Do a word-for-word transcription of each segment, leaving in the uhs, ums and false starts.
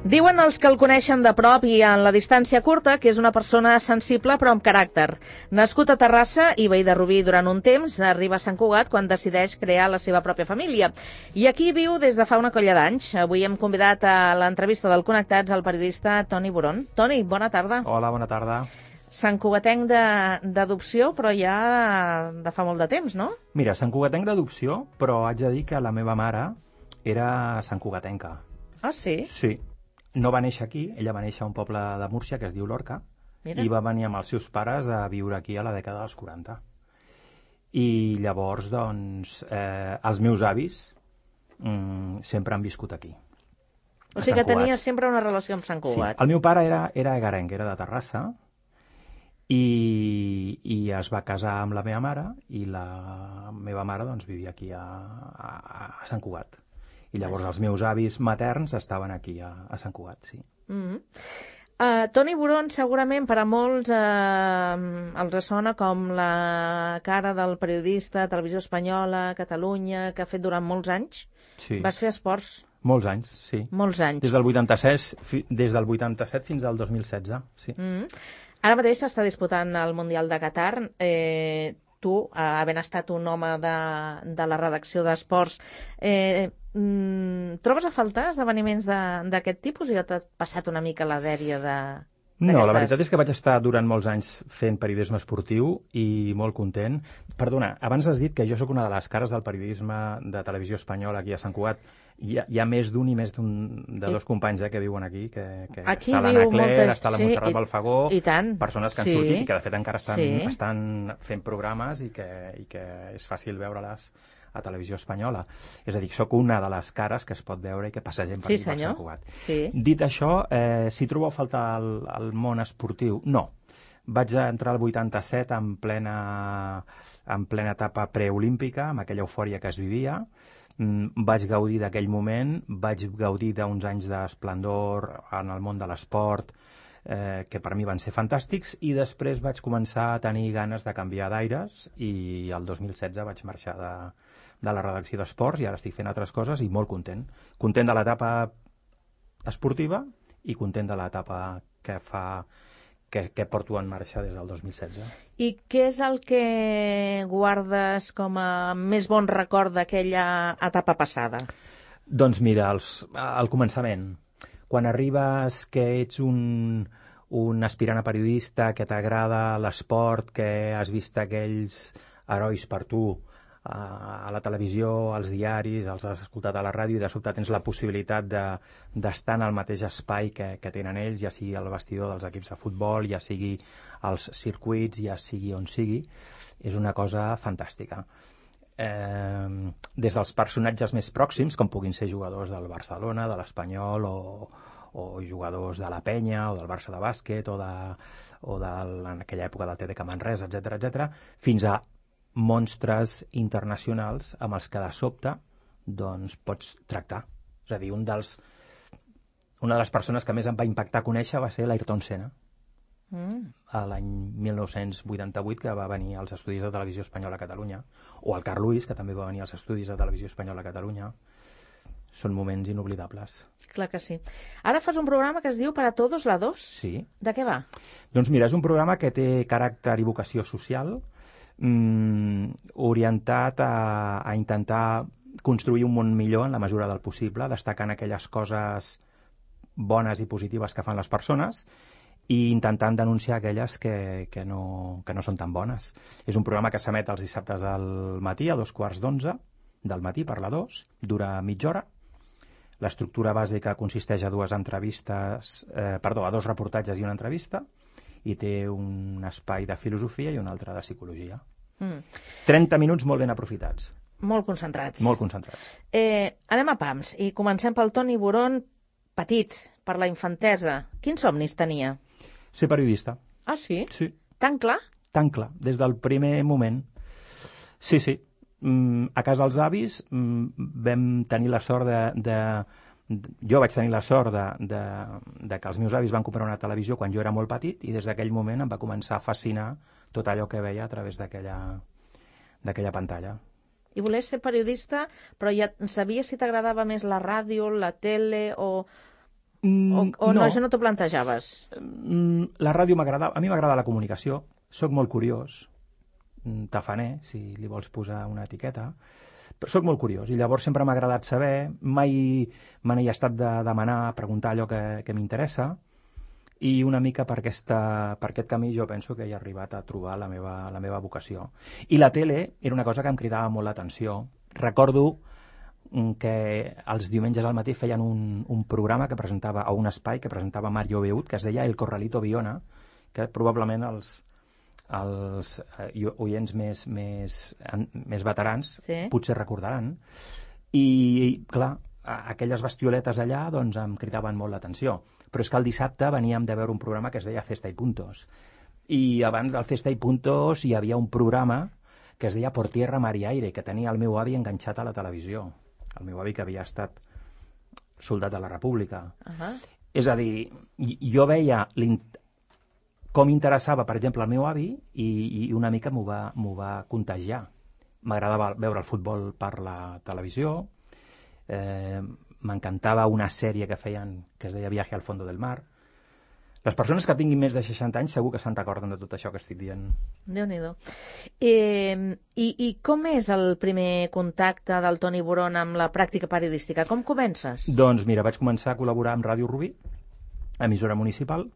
Diuen els que el coneixen de prop i en la distància curta que és una persona sensible però amb caràcter. Nascut a Terrassa i veí de Rubí durant un temps, arriba a Sant Cugat quan decideix crear la seva pròpia família. I aquí viu des de fa una colla d'anys. Avui hem convidat a l'entrevista del Connectats al periodista Toni Burón. Toni, bona tarda. Hola, bona tarda. Santcugatenc d'adopció, però ja de fa molt de temps, no? Mira, santcugatenc d'adopció, però haig de dir que la meva mare era santcugatenca. Ah, sí? Sí. No va néixer aquí, ella va néixer a un poble de Múrcia que es diu Lorca. Mira. I va venir amb els seus pares a viure aquí a la dècada dels quaranta. I llavors, doncs, eh, els meus avis mm, sempre han viscut aquí. O sigui que tenia sempre una relació amb Sant Cugat. Sí, el meu pare era, era egarenc, era de Terrassa, i, i es va casar amb la meva mare, i la meva mare doncs, vivia aquí a, a, a Sant Cugat. I llavors els meus avis materns estaven aquí a, a Sant Cugat, sí. Mm-hmm. uh, Toni Burón, segurament per a molts uh, els sona com la cara del periodista, Televisió Espanyola, Catalunya, que ha fet durant molts anys. Sí. Vas fer esports. Molts anys, sí. Molts anys. Des del vuitanta-set, des del vuitanta-set fins al dos mil setze, sí. Mm-hmm. Ara mateix s'està disputant el Mundial de Qatar. Eh, tu, eh, havent estat un home de, de la redacció d'esports, eh, mm, trobes a faltar esdeveniments d'aquest tipus o ja t'ha passat una mica la dèria de... No, la veritat és que vaig estar durant molts anys fent periodisme esportiu i molt content. Perdona, abans has dit que jo sóc una de les cares del periodisme de Televisió Espanyola aquí a Sant Cugat. Hi ha, hi ha més d'un i més d'un de dos companys eh, que viuen aquí, que, que aquí està l'Anna Cler, moltes... està la Montserrat sí, Balfagó, i, i tant. Persones que han sí. sortit i que de fet encara estan, sí. estan fent programes i que, i que és fàcil veure-les a Televisió Espanyola. És a dir, sóc una de les cares que es pot veure i que passa gent per sí, aquí per Sant Cugat. Sí. Dit això, eh, si trobo a faltar el, el món esportiu, no. Vaig entrar al vuitanta-set en plena, en plena etapa preolímpica, amb aquella eufòria que es vivia. Mm, vaig gaudir d'aquell moment, vaig gaudir d'uns anys d'esplendor en el món de l'esport, eh, que per mi van ser fantàstics, i després vaig començar a tenir ganes de canviar d'aires i el dos mil setze vaig marxar de, de la redacció d'esports i ara estic fent altres coses i molt content. Content de l'etapa esportiva i content de l'etapa que fa... Que, que porto en marxa des del dos mil setze. I què és el que guardes com a més bon record d'aquella etapa passada? Doncs mira, els, al començament, quan arribes que ets un, un aspirant a periodista, que t'agrada l'esport, que has vist aquells herois per tu a la televisió, als diaris, els has escoltat a la ràdio i de sobte tens la possibilitat de, d'estar en el mateix espai que, que tenen ells, ja sigui el vestidor dels equips de futbol, ja sigui als circuits, ja sigui on sigui, és una cosa fantàstica. Eh, des dels personatges més pròxims, com puguin ser jugadors del Barcelona, de l'Espanyol o, o jugadors de la Penya o del Barça de bàsquet o, de, o de, en aquella època del T D K Manresa, etcètera, etcètera, fins a monstres internacionals amb els que de sobte doncs, pots tractar. És a dir, un dels, una de les persones que més em va impactar conèixer va ser l'Ayrton Senna, mm. a l'any mil nou-cents vuitanta-vuit, que va venir als estudis de Televisió Espanyola a Catalunya, o el Carl Lewis, que també va venir als estudis de Televisió Espanyola a Catalunya. Són moments inoblidables. Clar que sí. Ara fas un programa que es diu Para Todos la dos. Sí. De què va? Doncs mira, és un programa que té caràcter i vocació social, Mm, orientat a, a intentar construir un món millor en la mesura del possible, destacant aquelles coses bones i positives que fan les persones i intentant denunciar aquelles que, que, no, que no són tan bones. És un programa que s'emet els dissabtes del matí a dos quarts d'onze del matí per la dos, dura mitja hora. L'estructura bàsica consisteix a dues entrevistes, eh, perdó, a dos reportatges i una entrevista, i té un espai de filosofia i un altre de psicologia. Mm. trenta minuts molt ben aprofitats. Molt concentrats. Molt concentrats. Eh, anem a pams i comencem pel Toni Burón, petit, per la infantesa. Quins somnis tenia? Ser periodista. Ah, sí? Sí. Tan clar? Tan clar, des del primer moment. Sí, sí. Mm, a casa dels avis mm, vam tenir la sort de... de jo vaig tenir la sort de, de, de que els meus avis van comprar una televisió quan jo era molt petit i des d'aquell moment em va començar a fascinar tot allò que veia a través d'aquella d'aquella pantalla. I volies ser periodista, però ja sabies si t'agradava més la ràdio, la tele o, Mm, o o no, no, això no t'ho plantejaves? Mm, La ràdio m'agrada, a mi m'agrada la comunicació, sóc molt curiós, mm, tafaner, si li vols posar una etiqueta, però sóc molt curiós i llavors sempre m'ha agradat saber, mai me n'he estat de demanar, preguntar allò que, que m'interessa, i una mica per, aquesta, per aquest camí jo penso que he arribat a trobar la meva, la meva vocació. I la tele era una cosa que em cridava molt l'atenció. Recordo que els diumenges al matí feien un, un programa que presentava, o un espai que presentava Mario Beut, que es deia El Corralito Viona, que probablement els, els eh, oients més, més, en, més veterans sí. potser recordaran. I, clar, aquelles bestioletes allà doncs em cridaven molt l'atenció. Però és que el dissabte veníem de veure un programa que es deia Cesta y Puntos. I abans del Cesta y Puntos hi havia un programa que es deia Por Tierra, Mar y Aire, que tenia el meu avi enganxat a la televisió. El meu avi que havia estat soldat de la República. Uh -huh. És a dir, jo veia com interessava, per exemple, el meu avi i, i una mica m'ho va, m'ho va contagiar. M'agradava veure el futbol per la televisió, eh, m'encantava una sèrie que feien que es deia Viaje al fondo del mar. Les persones que tinguin més de seixanta anys segur que se'n recorden de tot això que estic dient. Déu-n'hi-do. Eh, i, I com és el primer contacte del Toni Boron amb la pràctica periodística? Com comences? Doncs mira, vaig començar a col·laborar amb Ràdio Rubí, emissora municipal,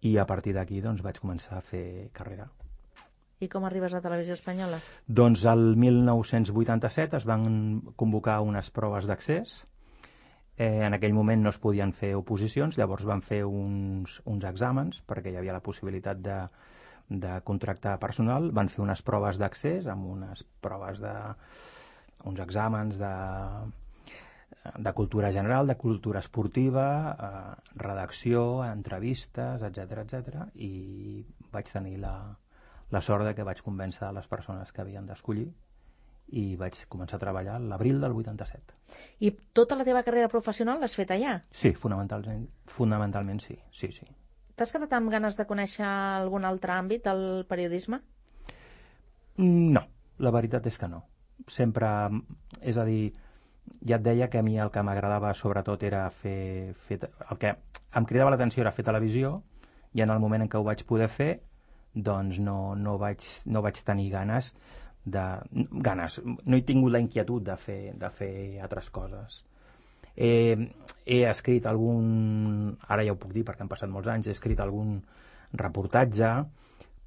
i a partir d'aquí doncs, vaig començar a fer carrera. I com arribes a Televisió Espanyola? Doncs el mil nou-cents vuitanta-set es van convocar unes proves d'accés. Eh, en aquell moment no es podien fer oposicions, llavors van fer uns, uns exàmens perquè hi havia la possibilitat de, de contractar personal. Van fer unes proves d'accés amb unes proves de... uns exàmens de, de cultura general, de cultura esportiva, eh, redacció, entrevistes, etcètera, etcètera, i vaig tenir la, la sort de que vaig convèncer les persones que havien d'escollir i vaig començar a treballar l'abril del vuitanta-set. I tota la teva carrera professional l'has fet allà? Sí, fonamentalment, fonamentalment sí, sí, sí. T'has quedat amb ganes de conèixer algun altre àmbit del periodisme? No, la veritat és que no. Sempre, és a dir, ja et deia que a mi el que m'agradava sobretot era fer, fer... El que em cridava l'atenció era fer televisió, i en el moment en què ho vaig poder fer, doncs no, no, vaig, no vaig tenir ganes de... ganes, no he tingut la inquietud de fer, de fer altres coses. He, he escrit algun... ara ja ho puc dir perquè han passat molts anys, he escrit algun reportatge,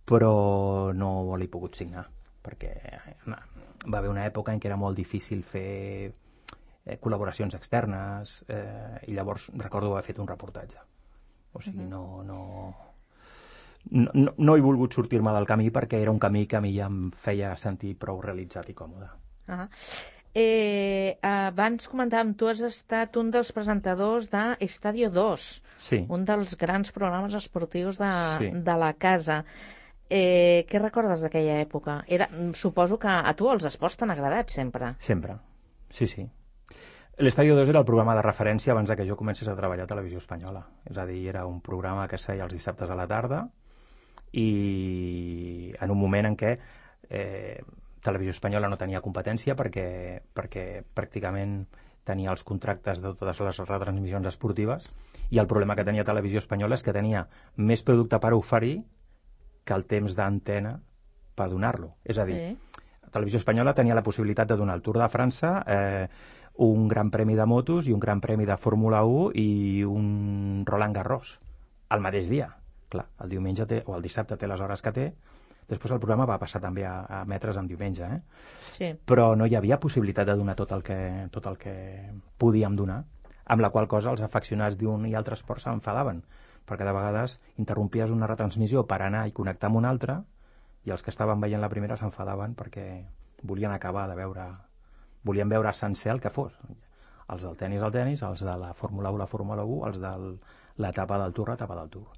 però no l'he pogut signar, perquè va haver una època en què era molt difícil fer eh, col·laboracions externes, eh, i llavors recordo haver fet un reportatge. O sigui, no... no No, no, no he volgut sortir-me del camí perquè era un camí que a mi ja em feia sentir prou realitzat i còmode. Uh-huh. eh, abans comentàvem, tu has estat un dels presentadors de Estadio dos, sí. Un dels grans programes esportius de, sí. de la casa. Eh, què recordes d'aquella època? Era, suposo que a tu els esports t'han agradat sempre. Sempre, sí, sí. L'Estadio dos era el programa de referència abans que jo comencés a treballar a Televisió Espanyola. És a dir, era un programa que es feia els dissabtes a la tarda, i en un moment en què eh, Televisió Espanyola no tenia competència perquè, perquè pràcticament tenia els contractes de totes les retransmissions esportives, i el problema que tenia Televisió Espanyola és que tenia més producte per oferir que el temps d'antena per donar-lo. És a dir, sí. Televisió Espanyola tenia la possibilitat de donar el Tour de França, eh, un gran premi de motos i un gran premi de Fórmula u i un Roland Garros al mateix dia. Clar, el diumenge té, o el dissabte té les hores que té. Després el programa va passar també a, a emetre's en diumenge, eh? Sí. Però no hi havia possibilitat de donar tot el que, tot el que podíem donar, amb la qual cosa els afeccionats d'un i altre esport s'enfadaven, perquè de vegades interrompies una retransmissió per anar i connectar amb una altra, i els que estaven veient la primera s'enfadaven perquè volien acabar de veure, volien veure sencer el que fos. Els del tennis, el tennis, els de la Fórmula u, la Fórmula u, els de l'etapa del Tour, l'etapa del Tour.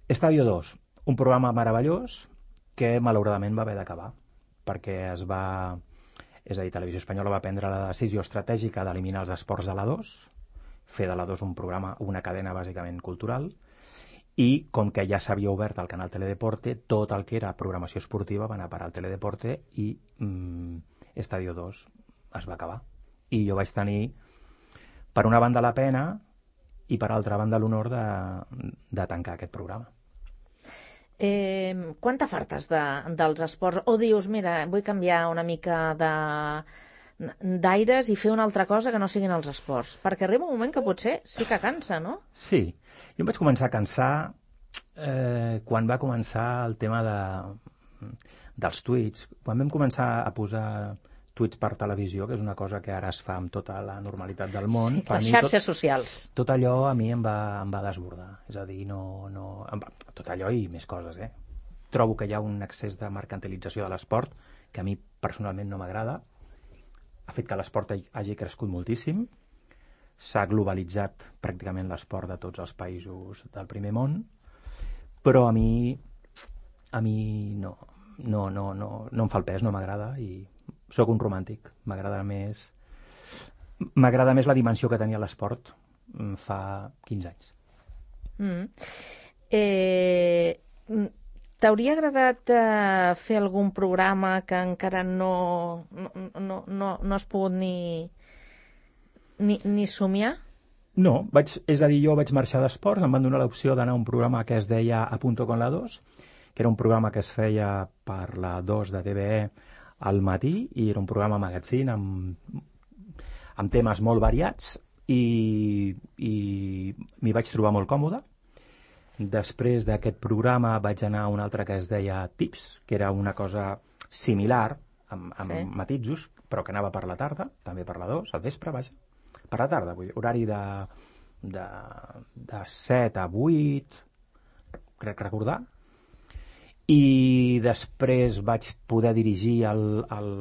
Estadio dos, un programa meravellós que malauradament va haver d'acabar perquè es va, és a dir, Televisió Espanyola va prendre la decisió estratègica d'eliminar els esports de la dos, fer de la dos un programa, una cadena bàsicament cultural, i com que ja s'havia obert el canal Teledeporte, tot el que era programació esportiva va anar a parar al Teledeporte i mmm, Estadio dos es va acabar. I jo vaig tenir, per una banda, la pena i per altra banda l'honor de, de tancar aquest programa. Eh, quan t'afartes de, dels esports? O dius, mira, vull canviar una mica de d'aires i fer una altra cosa que no siguin els esports? Perquè arriba un moment que potser sí que cansa, no? Sí, jo em vaig començar a cansar eh, quan va començar el tema de, dels tuits. Quan vam començar a posar tuits per televisió, que és una cosa que ara es fa amb tota la normalitat del món. Sí, les xarxes tot, socials. Tot allò a mi em va, em va desbordar. És a dir, no, no, tot allò i més coses, eh? Trobo que hi ha un excés de mercantilització de l'esport que a mi personalment no m'agrada. Ha fet que l'esport hagi crescut moltíssim. S'ha globalitzat pràcticament l'esport de tots els països del primer món, però a mi a mi no, no, no, no, no em fa el pes, no m'agrada i sóc un romàntic. M'agrada més m'agrada més la dimensió que tenia l'esport fa quinze anys. Mm. Eh... T'hauria agradat eh, fer algun programa que encara no, no, no, no, no has pogut ni, ni, ni somiar? No, vaig, és a dir, jo vaig marxar d'esports, em van donar l'opció d'anar a un programa que es deia A Punto con la dos, que era un programa que es feia per la dos de T V E al matí, i era un programa magazine amb, amb temes molt variats, i, i m'hi vaig trobar molt còmode. Després d'aquest programa vaig anar a un altre que es deia Tips, que era una cosa similar, amb, amb sí. matisos, però que anava per la tarda, també per la dos, al vespre, vaja. Per la tarda, vull dir, horari de, de, de set a vuit, crec recordar. I després vaig poder dirigir el, el,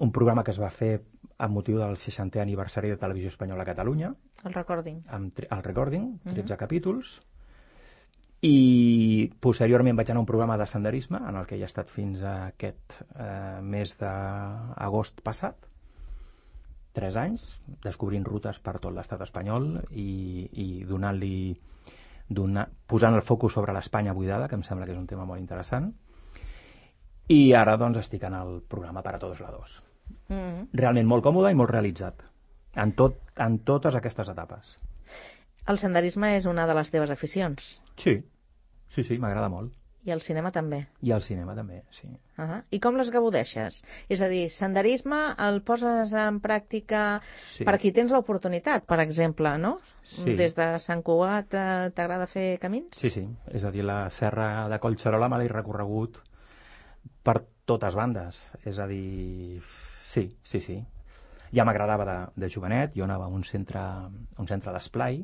un programa que es va fer amb motiu del seixantè aniversari de Televisió Espanyola a Catalunya. El Recording. Amb, el Recording, tretze uh-huh. capítols. I posteriorment vaig anar a un programa de senderisme, en el que he estat fins a aquest eh, mes d'agost passat. Tres anys, descobrint rutes per tot l'estat espanyol i, i donant-li, donar, posant el focus sobre l'Espanya buidada, que em sembla que és un tema molt interessant. I ara, doncs, estic en el programa Para Todos la dos. Mm-hmm. Realment molt còmode i molt realitzat en, tot, en totes aquestes etapes. El senderisme és una de les teves aficions? Sí, sí, sí, m'agrada molt. I el cinema també? I el cinema també, sí. Uh-huh. I com les gaudeixes? És a dir, senderisme el poses en pràctica sí. per aquí tens l'oportunitat, per exemple, no? Sí. Des de Sant Cugat eh, t'agrada fer camins? Sí, sí. És a dir, la serra de Collserola me l'he recorregut per totes bandes. És a dir, sí, sí, sí. Ja m'agradava de, de jovenet, jo anava a un centre, un centre d'esplai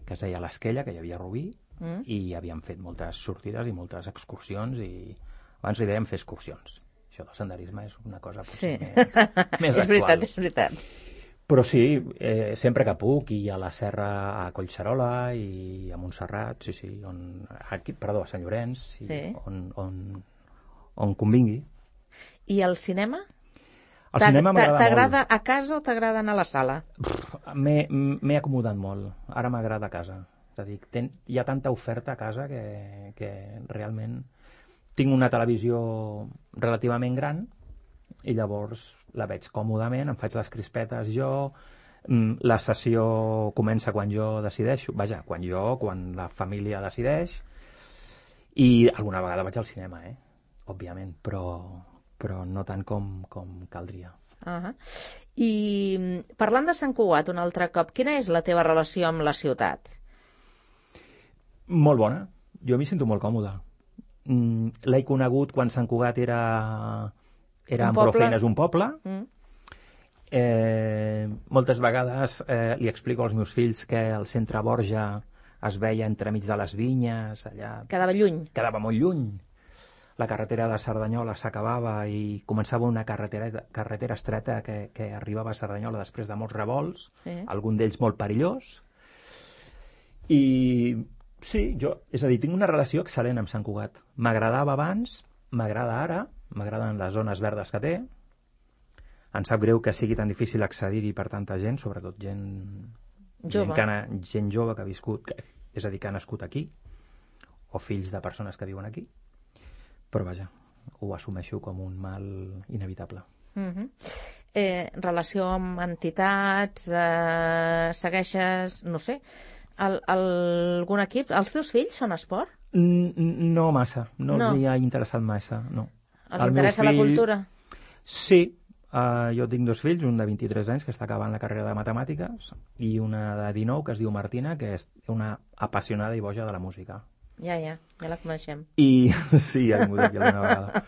que es deia l'Esquella, que hi havia a Rubí, mm. i havíem fet moltes sortides i moltes excursions, i abans li dèiem fer excursions. Això del senderisme és una cosa potser sí. més, més és veritat, és veritat. Però sí, eh, sempre que puc, i a la serra a Collserola i a Montserrat, sí, sí, on, aquí, perdó, a Sant Llorenç, sí, sí. On, on, on convingui. I el cinema? El cinema m'agrada molt. T'agrada a casa o t'agrada anar a la sala? M'he acomodat molt. Ara m'agrada a casa. És a dir, ten, hi ha tanta oferta a casa que, que realment tinc una televisió relativament gran i llavors la veig còmodament, em faig les crispetes jo, la sessió comença quan jo decideixo, vaja, quan jo, quan la família decideix, i alguna vegada vaig al cinema, eh? Òbviament, però... però no tant com, com caldria. Uh-huh. I parlant de Sant Cugat un altre cop, quina és la teva relació amb la ciutat? Molt bona. Jo m'hi sento molt còmode. Mm, l'he conegut quan Sant Cugat era, era amb prou feines un poble. Mm. Eh, moltes vegades eh, li explico als meus fills que el centre Borja es veia entremig de les vinyes. Allà. Quedava lluny. Quedava molt lluny. La carretera de Cerdanyola s'acabava i començava una carretera, carretera estreta que, que arribava a Cerdanyola després de molts revolts, sí. Algun d'ells molt perillós. I sí, jo, és a dir, tinc una relació excel·lent amb Sant Cugat. M'agradava abans, m'agrada ara, m'agraden les zones verdes que té. Em sap greu que sigui tan difícil accedir-hi per tanta gent, sobretot gent jove, gent, que ha, gent jove que ha viscut, que, és a dir, que ha nascut aquí, o fills de persones que viuen aquí. Però vaja, ho assumeixo com un mal inevitable. Uh-huh. eh, relació amb entitats, eh, segueixes, no sé, el, el, algun equip? Els teus fills fan esport? No massa, no, No. els hi ha interessat massa, no. Els El meu interessa la fill- cultura? Sí, uh, jo tinc dos fills, un de vint-i-tres anys que està acabant la carrera de matemàtiques i una de dinou que es diu Martina, que és una apassionada i boja de la música. Ja, ja, ja la coneixem. I sí, ja he vingut aquí alguna vegada.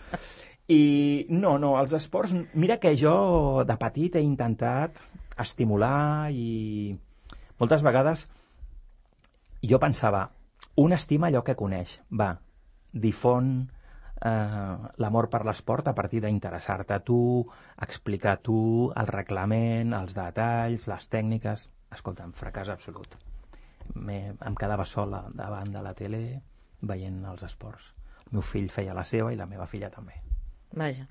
I no, no, els esports... Mira que jo de petit he intentat estimular i moltes vegades jo pensava, un estima allò que coneix, va, difon eh, l'amor per l'esport a partir d'interessar-te a tu, explicar a tu el reglament, els detalls, les tècniques... Escolta'm, fracàs absolut. Me, em quedava sola davant de la tele veient els esports. El meu fill feia la seva i la meva filla també. Vaja.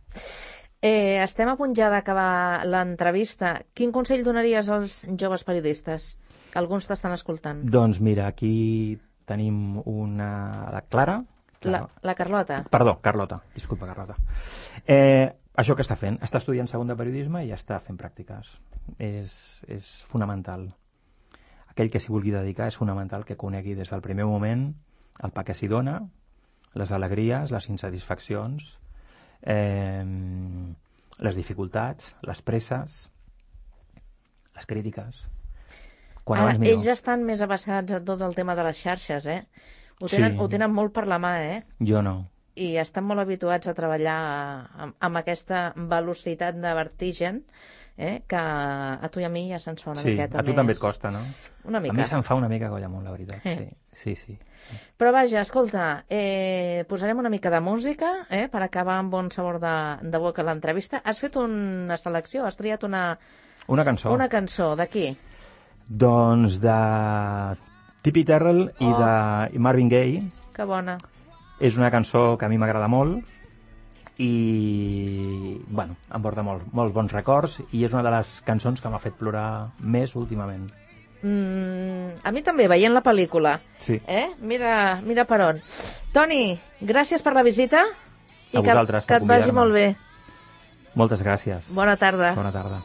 Eh, estem a punt ja d'acabar l'entrevista. Quin consell donaries als joves periodistes? Alguns t'estan escoltant. Doncs mira, aquí tenim una... La Clara? La, la Carlota. Perdó, Carlota. Disculpa, Carlota. Eh, això que està fent? Està estudiant segon de periodisme i està fent pràctiques. És, és fonamental. Aquell que s'hi vulgui dedicar és fonamental que conegui des del primer moment el pa que s'hi dona, les alegries, les insatisfaccions, eh, les dificultats, les presses, les crítiques. Quan Ara, abans millor. ells ja estan més avançats a tot el tema de les xarxes, eh? Ho tenen, Sí. ho tenen molt per la mà, eh? Jo no. I estan molt habituats a treballar amb, amb aquesta velocitat de vertigen, eh? Que a tu i a mi ja se'ns fa una Sí, miqueta a tu més... també et costa, no? Una A mica. mi se'm fa una mica colla amunt, la veritat. Eh. Sí, sí, sí. Però vaja, escolta, eh, posarem una mica de música eh, per acabar amb bon sabor de, de boca l'entrevista. Has fet una selecció, has triat una, Una cançó. una cançó d'aquí. Doncs de Tippy Terrell i Oh. de Marvin Gaye. Que bona. És una cançó que a mi m'agrada molt i, bueno, em porta molt, molts bons records i és una de les cançons que m'ha fet plorar més últimament. Mm, a mi també, veient la pel·lícula. Sí. Eh? Mira, mira per on. Toni, gràcies per la visita i A que, vosaltres que per et vagi convidar-me. molt bé. Moltes gràcies. Bona tarda. Bona tarda.